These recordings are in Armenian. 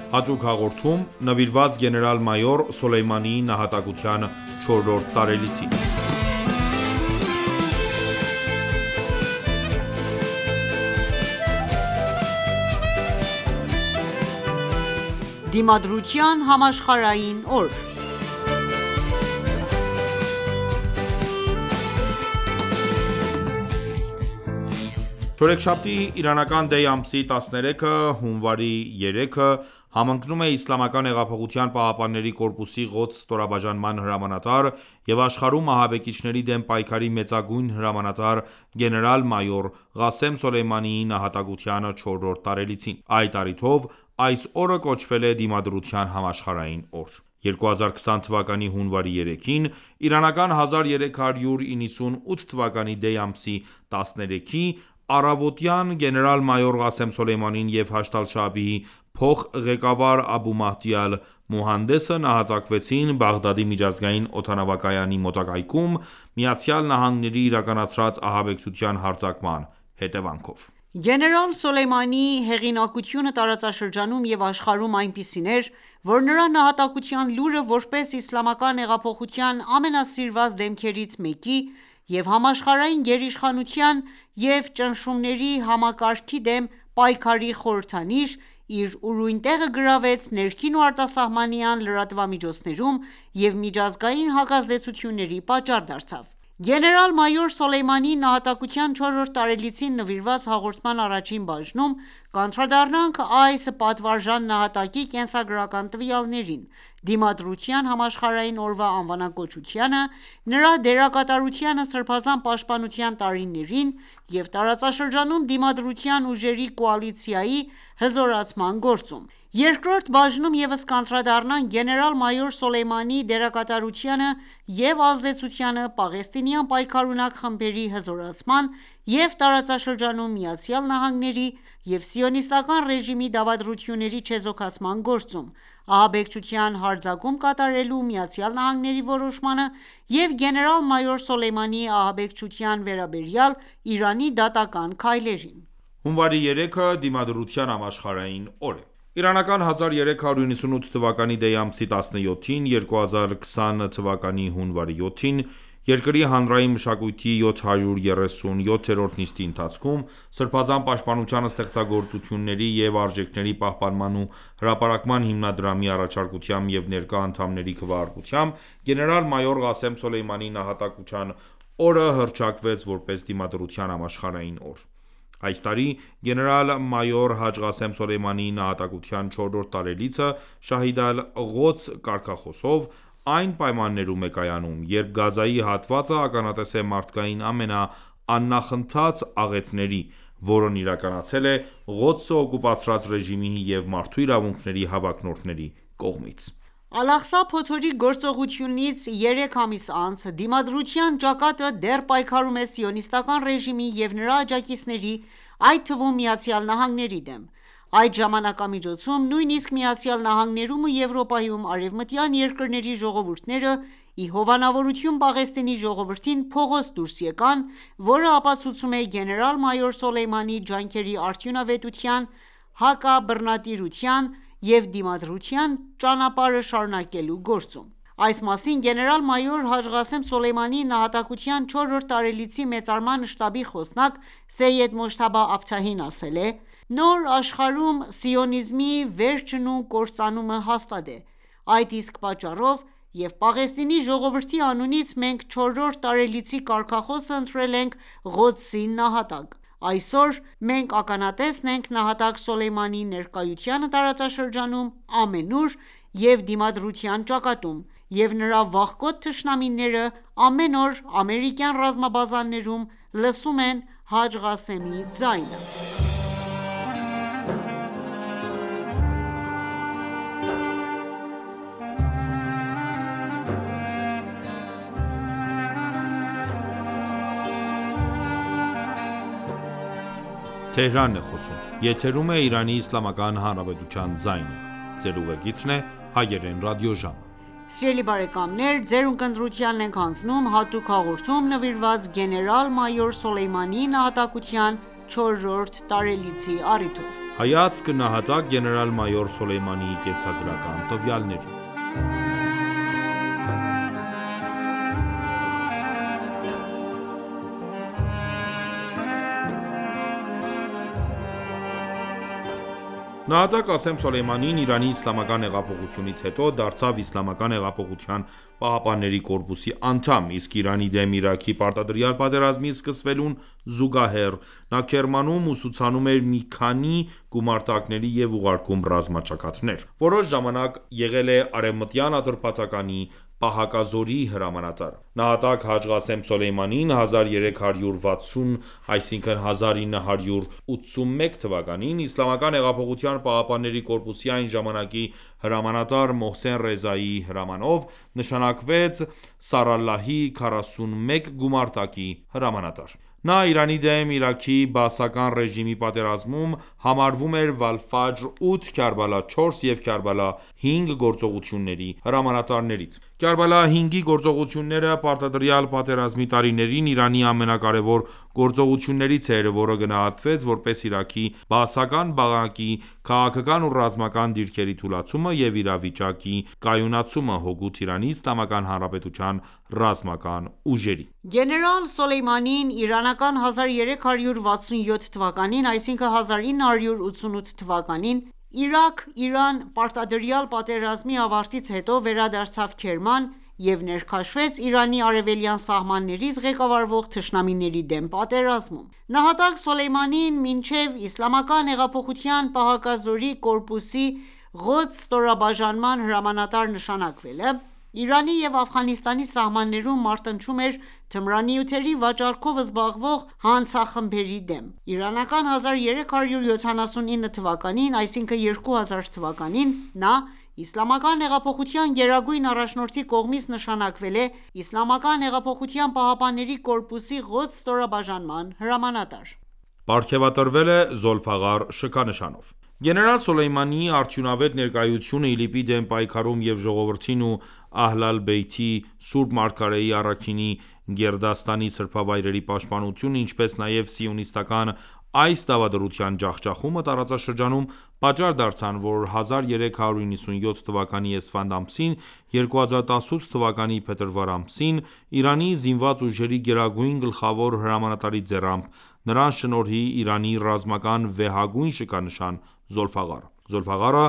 Հատուկ հաղորդում նվիրված գեներալ-մայոր Սոլեյմանիի նահատակության 4-րդ տարելիցին։ Դիմադրության համաշխարհային օր Չորեքշաբթի իրանական դեյ ամսի 13-ը հունվարի 3-ը համընկնում է Իսլամական հեղափոխության պահապանների կորպուսի Ղոդս ստորաբաժանման հրամանատար և աշխարհում ահաբեկիչների դեմ պայքարի մեծագույն հրամանատար գեներալ-մայոր Ղասեմ Սոլեյմանիի նահատակության 4-րդ տարելիցին։ Այդ առիթով այս օրը կոչվել է Դիմադրության համաշխարհային օր։ 2020 թվականի հունվարի 3-ին, իրանական 1398 թվականի դեյ ամսի 13-ի առավոտյան գեներալ-մայոր Ղասեմ Սոլեյմանին և Հաշդ ալ-Շաաբիի փոխղեկավար Աբու Մահդի ալ-Մուհանդեսը նահատակվեցին Բաղդադի միջազգային օդանավակայանի մոտակայքում ԱՄՆ-ի իրականացրած ահաբեկչության հարձակման հետևանքով։ Գեներալ Սոլեյմանիի հեղինակությունը տարածաշրջանում և աշխարհում այնպիսին էր, որ նրա նահատակության լուրը որպես Իսլամական հեղափոխության ամենասիրված դեմքերից մեկի և համաշխարհային գերիշխանության և ճնշումների համակարգի դեմ պայքարի խորհրդանիշ, իր ուրույն տեղը գրավեց ներքին ու արտասահմանյան լրատվամիջոցներում և միջազգային հակազդեցությունների պատճառ դարձավ։ Գեներալ-մայոր Սոլեյմանիի նահատակության 4-րդ տարելիցին նվիրված հաղորդման առաջին բաժնում կանդրադառնանք այս պատվարժան նահատակի կենսագրական տվյալներին, Դիմադրության համաշխարհային օրվա անվանակոչությանը, նրա դերակատարությանը Սրբազան պաշտպանության տարիներին և տարածաշրջանում Դիմադրության ուժերի կոալիցիայի հզորացման գործում։ Երկրորդ բաժնում ևս կանդրադառնանք գեներալ-մայոր Սոլեյմանիի դերակատարությանը և ազդեցությանը պաղեստինյան պայքարունակ խմբերի հզորացման և տարածաշրջանում ԱՄՆ-ի և Սիոնիստական ռեժիմի դավադրությունների չեզոքացման գործում, ահաբեկչության հարձակում կատարելու ԱՄՆ-ի որոշմանը և գեներալ-մայոր Սոլեյմանիի ահաբեկչության վերաբերյալ Իրանի դատական քայլերին։ Հունվարի 3-ը Դիմադրության համաշխարհային օր է։ Իրանական 1398 թվականի դեյ ամսի 17-ին, 2020 թվականի հունվարի 7-ին, երկրի հանրային մշակույթի 737-րդ նիստի ընթացքում, Սրբազան պաշտպանության ստեղծագործությունների և արժեքների պահպանման ու հրապարակման հիմնադրամի առաջարկությամբ և ներկա անդամների քվեարկությամբ, գեներալ-մայոր Ղասեմ Սոլեյմանիի նահատակության օրը հռչակվեց որպես Դիմադրության համաշխարհային օր։ Այս տարի գեներալ-մայոր Հաջ Ղասեմ Սոլեյմանիի նահատակության 4-րդ տարելիցը «Շահիդ ալ-Ղոդս» կարգախոսով այն պայմաններում է կայանում, երբ Գազայի հատվածը ականատես է մարդկային ամենաաննախընթաց աղետների, որն իրականացել է Ղոդսը օկուպացրած ռեժիմի և մարդու իրավունքների հավակնորդների կողմից։ Ալ-Աղսա փոթորիկ գործողությունից 3 ամիս անց Դիմադրության ճակատը դեռ պայքարում է Սիոնիստական ռեժիմի և նրա աջակիցների, այդ թվում ԱՄՆ-ի դեմ։ Այդ ժամանակամիջոցում նույնիսկ ԱՄՆ-ում ու Եվրոպայում արևմտյան երկրների ժողովուրդները ի հովանավորություն Պաղեստինի ժողովրդին փողոց դուրս եկան, որը ապացուցում է գեներալ-մայոր Սոլեյմանիի ջանքերի արդյունավետության, հակաբռնատիրության և դիմադրության ճանապարհը շարունակելու գործում։ Այս մասին գեներալ-մայոր Հաջ Ղասեմ Սոլեյմանիի նահատակության 4-րդ տարելիցի մեծարման շտաբի խոսնակ Սեյեդ Մոջթաբա Աբթահին ասել է.«Նոր աշխարհում սիոնիզմի վերջն ու կործանումը հաստատ է։ Այդ իսկ պատճառով և Պաղեստինի ժողովրդի անունից մենք 4-րդ տարելիցի կարգախոսը ընտրել ենք Ղոդսի նահատակ։ Այսօր մենք ականատեսն ենք նահատակ Սոլեյմանիի ներկայությանը տարածաշրջանում ամենուր և Դիմադրության ճակատում, և նրա վախկոտ թշնամիները ամեն օր ամերիկյան ռազմաբազաներում լսում են Հաջ Ղասեմի ձայնը»։ Հայացք նահատակ գեներալ-մայոր Սոլեյմանիի կենսագրական տվյալներին։ Նահատակ Qasem Սոլեյմանին Իրանի իսլամական հեղափոխությունից հետո դարձավ Իսլամական հեղափոխության պահապանների կորպուսի անդամ, իսկ Իրանի դեմ Իրաքի պարտադրյալ պատերազմի սկսվելուն զուգահեռ նա Քերմանում ուսուցանում էր մի քանի գումարտակների և ուղարկում ռազմաճակատներ։ Որոշ ժամանակ եղել է Արևմտյան Ատրպատականի պահակազորի հրամանատար։ Նահատակ Հաջ Qasem Սոլեյմանին 1360-1981 թվականին Իսլամական հեղափոխության պահապանների կորպուսի այն ժամանակի հրամանատար Մոհսեն Ռեզայի հրամանով նշանակվեց Սարալլահի 41 գումարտակի հրամանատար։ Նա Իրանի դեմ Իրաքի բաասական ռեժիմի պատերազմում համարվում էր Վալֆաջր 8, Քարբալա 4 և Քարբալա 5 գործողությունների հրամանատարներից։ Քարբալա 5-ի գործողությունները պարտադրյալ պատերազմի տարիներին Իրանի ամենակարևոր գործողություններից էր, որը գնահատվեց որպես Իրաքի բաասական բանակի քաղաքական ու ռազմական դիրքերի թուլացումը և իրավիճակի կայունացումը հօգուտ Իրանի Իսլամական Հանրապետության ռազմական ուժերի։ Գեներալ Սոլեյմանին իրանական 1367 թվականին, այսինքն 1988 թվականին Իրաք-Իրան պարտադրյալ պատերազմի ավարտից հետո վերադարձավ Քերման և ներքաշվեց Իրանի արևելյան սահմաններից ղեկավարվող թշնամիների դեմ պատերազմում։ Նահատակ Սոլեյմանին մինչև Իսլամական հեղափոխության պահակազորի կորպուսի Ղոդս ստորաբաժանման հրամանատար նշանակվելը Իրանի և Աֆղանստանի սահմաններում մարտնչում էր թմրանյութերի վաճառքով զբաղվող հանցախմբերի դեմ։ Իրանական 1379 թվականին, այսինքն 2000 թվականին, նա Իսլամական հեղափոխության գերագույն առաջնորդի կողմից նշանակվել է Իսլամական հեղափոխության պահապանների կորպուսի Ղոդս ստորաբաժանման հրամանատար։ Պարգևատրվել է Զոլֆաղար շքանշանով։ Գեներալ Սոլեյմանիի արդյունավետ ներկայությունը ԻԼԻՊ-ի դեմ պայքարում և ժողովրդին ու Ահլ ալ-Բեյթի Սուրբ Մարգարեի առաքինի գերդաստանի սրբավայրերի պաշտպանությունը, ինչպես նաև սիոնիստական այս դավադրության ջախջախումը տարածաշրջանում պատճառ դարձան, որ 1397 թվականի Էսֆանդ ամսին, 2018 թվականի փետրվար ամսին Իրանի զինված ուժերի գերագույն գլխավոր հրամանատարի ձեռամբ նրան շնորհի Իրանի ռազմական վեհագույն շքանշան Զոլֆաղարը։ Զոլֆաղարը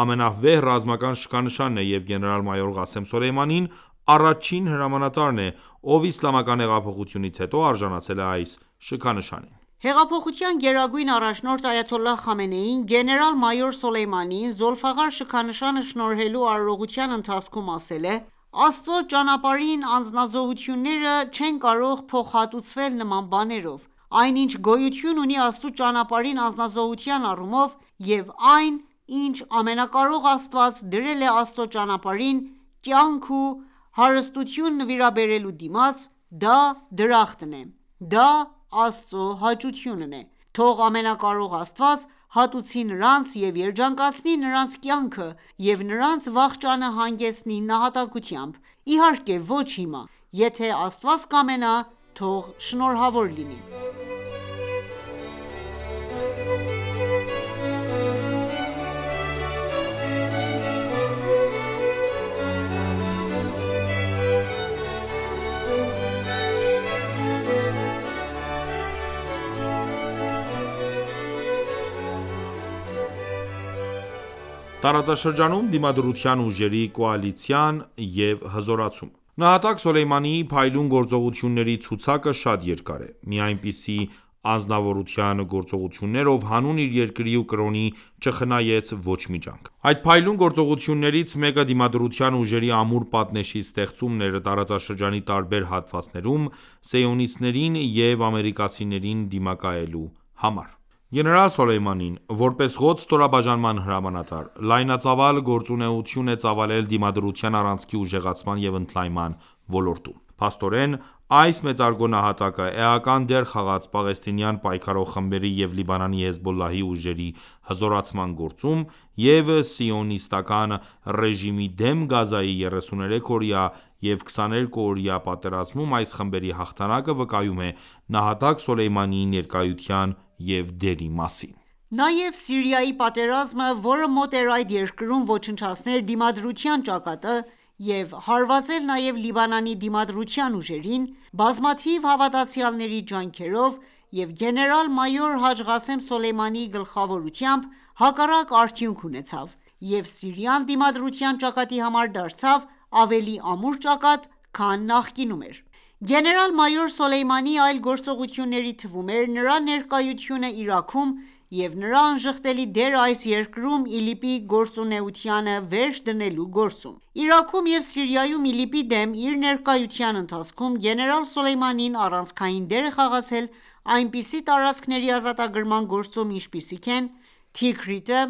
ամենավեհ ռազմական շքանշանն է և գեներալ-մայոր Qasem Սոլեյմանին առաջին հրամանատարն է, ով Իսլամական հեղափոխությունից հետո արժանացել է այս շքանշանին։ Հեղափոխության գերագույն առաջնորդ Այաթոլլահ Խամենեին գեներալ-մայոր Սոլեյմանիին Զոլֆաղար շքանշանը շնորհելու արարողության ընթացքում ասել է. «Աստծո ճանապարհին անձնազոհությունները չեն կարող փոխհատուցվել նման բաներով։ Այն ինչ գոյություն ունի Աստծու ճանապարհին անձնազոհության առումով և այն ինչ ամենակարող Աստված դրել է Աստծո ճանապարհին կյանք ու հարստություն նվիրաբերելու դիմաց, դա դրախտն է, դա Աստծո հաճությունն է: Թող ամենակարող Աստված հատուցի նրանց և երջանկացնի նրանց կյանքը և նրանց վախճանը հանգեցնի նահատակությամբ: Իհարկե ոչ հիմա, եթե Աստված կամենա, թող շնորհավոր լինի»։ Տարածաշրջանում Դիմադրության ուժերի կոալիցիան և հզորացումը։ Նահատակ Սոլեյմանիի փայլուն գործողությունների ցուցակը շատ երկար է։ Մի այնպիսի անձնավորության գործողություններ, ով հանուն իր երկրի ու կրոնի չխնայեց ոչ մի ջանք։ Այդ փայլուն գործողություններից մեկը Դիմադրության ուժերի ամուր պատնեշի ստեղծումն էր տարածաշրջանի տարբեր հատվածներում սիոնիստներին և ամերիկացիներին դիմակայելու համար։ Գեներալ Սոլեյմանին, որպես Ղոդս ստորաբաժանման հրամանատար, լայնածավալ գործունեություն է ծավալել Դիմադրության առանցքի ուժեղացման և ընդլայնման ոլորտում։ Փաստորեն, այս մեծարգո նահատակը էական դեր խաղաց պաղեստինյան պայքարող խմբերի և Լիբանանի Հեզբոլլահի ուժերի հզորացման գործում և սիոնիստական ռեժիմի դեմ Գազայի 33-օրյա և 22-օրյա պատերազմում այս խմբերի հաղթանակը վկայում է նահատակ Սոլեյմանիի ներկայության և դերի մասին։ Նաև Սիրիայի պատերազմը, որը մոտ էր այդ երկրում ոչնչացնել դիմադրության ճակատը և հարվածել նաև Լիբանանի դիմադրության ուժերին, բազմաթիվ հավատացյալների ջանքերով և գեներալ-մայոր Հաջ Ղասեմ Սոլեյմանիի գլխավորությամբ, հակառակ արդյունք ունեցավ, և Սիրիան դիմադրության ճակատի համար դարձավ ավելի ամուր ճակատ, քան նախկինում էր։ Գեներալ-մայոր Սոլեյմանիի այլ գործողությունների թվում էր նրա ներկայությունը Իրաքում և նրա անժխտելի դերը այս երկրում ԻԼԻՊ-ի գործունեությանը վերջ դնելու գործում։ Իրաքում և Սիրիայում ԻԼԻՊ-ի դեմ իր ներկայության ընթացքում գեներալ Սոլեյմանին առանցքային դեր է խաղացել այնպիսի տարածքների ազատագրման գործում, ինչպիսիք են Թիքրիտը,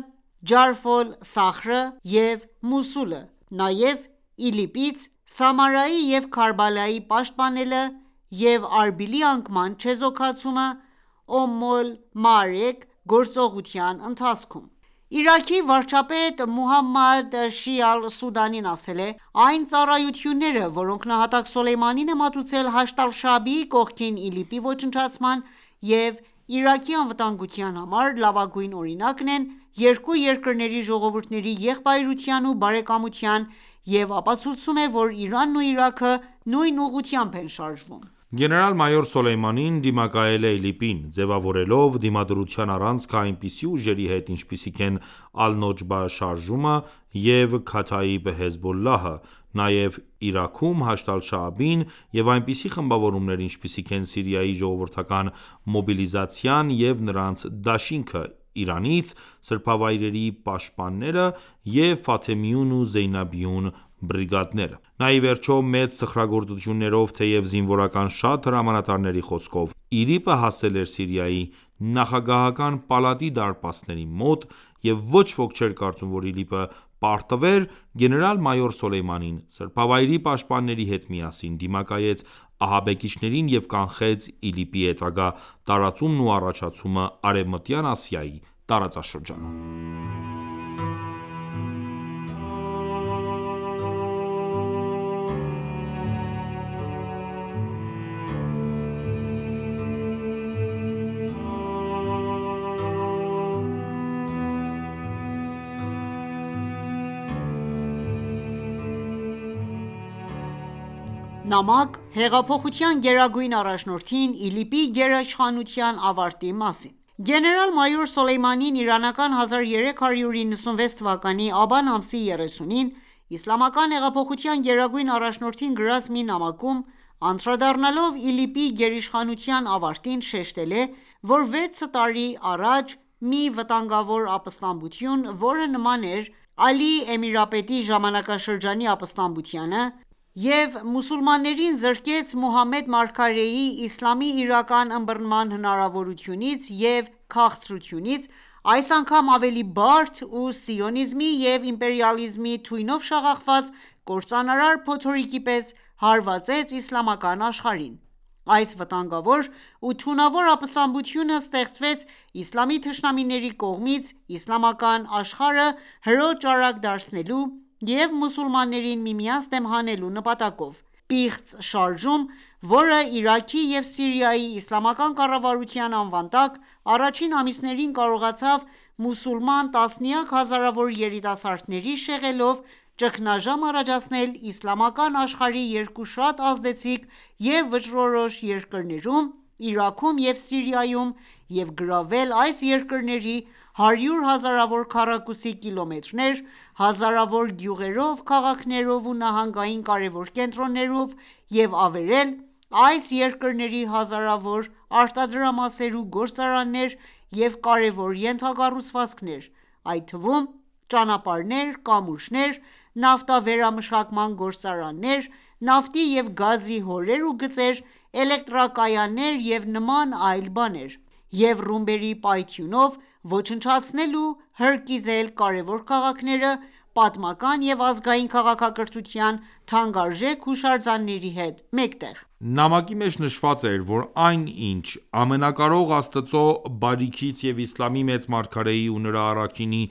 Ջարֆ ալ-Սախրը և Մոսուլը, նաև ԻԼԻՊ-ից Սամարայի և Քարբալայի պաշտպանելը և Արբիլի անկման չեզոքացումը Օմ ալ-Մաարեք գործողության ընթացքում։ Իրաքի վարչապետ Մոհամմադ Շիա Ալ-Սուդանին ասել է.«Այն ծառայությունները, որոնք նահատակ Սոլեյմանին է մատուցել Հաշդ ալ-Շաաբիի կողքին ԻԼԻՊ-ի ոչնչացման և Իրաքի անվտանգության համար, լավագույն օրինակն են երկու երկրների ժողովուրդների եղբայրության ու բարեկամության և ապացուցում է, որ Իրանն ու Իրաքը նույն ուղղությամբ են շարժվում»։ Գեներալ-մայոր Սոլեյմանին դիմակայել է ԻԼԻՊ-ին, ձևավորելով դիմադրության առանցքը այնպիսի ուժերի հետ, ինչպիսիք են Ալ-Նոջբա շարժումը և Քաթաիբ Հեզբոլլահը, նաև Իրաքում Հաշդ ալ-Շաաբին և այնպիսի խմբավորումներ, ինչպիսիք են Սիրիայի ժողովրդական մոբիլիզացիան և նրանց դաշինքը, Իրանից սրբավայրերի պաշտպանները և Ֆաթեմիուն ու Զեյնաբիուն բրիգադները։ Նա ի վերջո մեծ սխրագործություններով, թեև զինվորական շատ հրամանատարների խոսքով, ԻԼԻՊ-ը հասել էր Սիրիայի նախագահական պալատի դարպասների մոտ, և ոչ ոք չէր կարծում, որ ԻԼԻՊ-ը պարտվեր գեներալ-մայոր Սոլեյմանին, սրբավայրի պաշտպանների հետ միասին դիմակայեց ահաբեկիչներին և կանխեց ԻԼԻՊ-ի հետագա տարածումն ու առաջացումը Արևմտյան Ասիայի տարածաշրջանում։ Նամակ հեղափոխության գերագույն առաջնորդին ԻԼԻՊ-ի գերիշխանության ավարտի մասին Գեներալ-մայոր Սոլեյմանին իրանական 1396 թվականի աբան ամսի 30-ին Իսլամական հեղափոխության գերագույն առաջնորդին գրած մի նամակում, անդրադառնալով ԻԼԻՊ-ի գերիշխանության ավարտին, շեշտել է, որ 6 տարի առաջ մի վտանգավոր ապստամբություն, որը նման էր Ալի Էմիրապետի ժամանակաշրջանի ապստամբությանը և մուսուլմաններին զրկեց Մուհամմեդ մարգարեի իսլամի իրական ըմբռնման հնարավորությունից և քաղցրությունից, այս անգամ ավելի բարդ ու սիոնիզմի և իմպերիալիզմի թույնով շաղախված կործանարար փոթորիկի պես հարվածեց իսլամական աշխարհին։ Այս վտանգավոր ու թունավոր ապստամբությունը ստեղծվեց իսլամի թշնամիների կողմից՝ իսլամական աշխարհը հրո ճարակ դարձնելու և մուսուլմաններին միմյանց դեմ հանելու նպատակով։ Պիղծ շարժում, որը Իրաքի և Սիրիայի իսլամական կառավարության անվան տակ, առաջին ամիսներին կարողացավ մուսուլման տասնյակ հազարավոր երիտասարդների շեղելով ճգնաժամ առաջացնել իսլամական աշխարհի երկու շատ ազդեցիկ և վճռորոշ երկրներում՝ Իրաքում և Սիրիայում և գրավել այս երկրների հարյուր հազարավոր քառակուսի կիլոմետրեր, հազարավոր գյուղերով, քաղաքներով ու նահանգային կարևոր կենտրոններով և ավերել այս երկրների հազարավոր արտադրամասեր ու գործարաններ և կարևոր ենթակառուցվածքներ, այդ թվում ճանապարհներ, կամուրջներ, նավթավերամշակման գործարաններ, նավթի և գազի հորեր ու գծեր, էլեկտրակայաններ և նման այլ բաներ, և ռումբերի պայթյունով ոչնչացնել ու հրկիզել կարևոր քաղաքները՝ պատմական և ազգային քաղաքակրթության թանկարժեք հուշարձանների հետ մեկտեղ։ Նամակի մեջ նշված էր, որ այն, ինչ Ամենակարող Աստծո բարիքից և իսլամի մեծ մարգարեի ու նրա առաքինի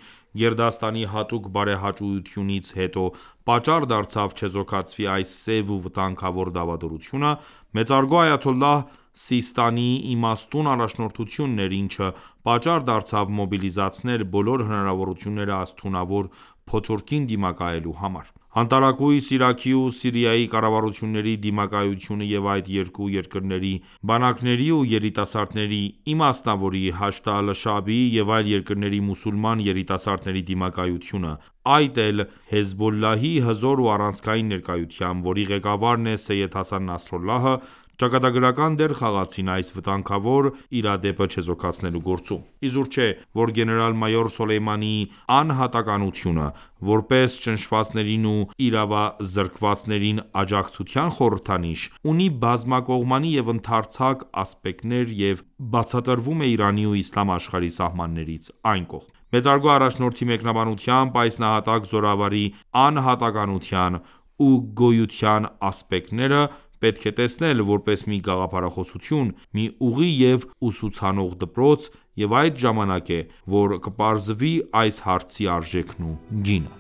գերդաստանի հատուկ բարեհաճույությունից հետո պատճառ դարձավ չեզոքացվի այս սև ու վտանգավոր դավադրությունը, մեծարգո այաթոլլահ Սիստանի իմաստուն առաջնորդությունն էր, ինչը պատճառ դարձավ մոբիլիզացնել բոլոր հնարավորությունները այս թունավոր փոթորկին դիմակայելու համար: Անտարակույս Իրաքի ու Սիրիայի կառավարությունների դիմակայությունը և այդ երկու երկրների բանակների ու երիտասարդների, իմասնավորի, Հաշդ ալ-Շաաբիի և այլ երկրների մուսուլման երիտասարդների դիմակայությունը, այդ էլ Հեզբոլլահի հզոր ու առանցքային ներկայությամբ, որի ղեկավարն է Սեյյեդ Հասան Նասրալլահը, ճակատագրական դեր խաղացին այս վտանգավոր իրադեպը չեզոքացնելու գործում: Իզուր չէ, որ գեներալ-մայոր Սոլեյմանիի անհատականությունը, որպես ճնշվածներին ու իրավազրկվածներին աջակցության խորհրդանիշ, ունի բազմակողմանի և ընդարձակ ասպեկտներ և բացատրվում է Իրանի ու իսլամ աշխարհի սահմաններից այն կողմ: Մեծարգո առաջնորդի մեկնաբանությամբ, այս նահատակ զորավարի անհատականության ու գոյության ասպեկտները պետք է տեսնել, որպես մի գաղափարախոսություն, մի ուղի և ուսուցանող դպրոց և այդ ժամանակ է, որ կպարզվի այս հարցի արժեքն ու գինը: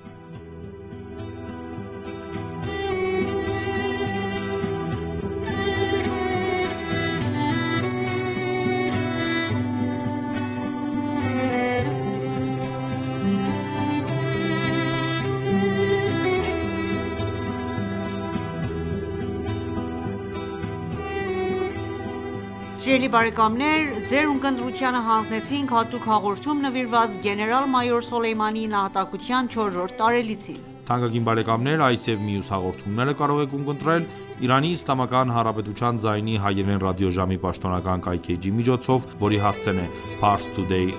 Սիրելի բարեկամներ, ձեր ունկնդրությանը հանձնեցինք հատուկ հաղորդում նվիրված գեներալ-մայոր Սոլեյմանիի նահատակության 4-րդ տարելիցին: Թանկագին բարեկամներ, այս և մյուս հաղորդումները կարող եք ունկնդրել Իրանի Իսլամական Հանրապետության ձայնի հայերեն ռադիոժամի պաշտոնական կայքէջի միջոցով, որի հասցեն է parstoday.ir/hy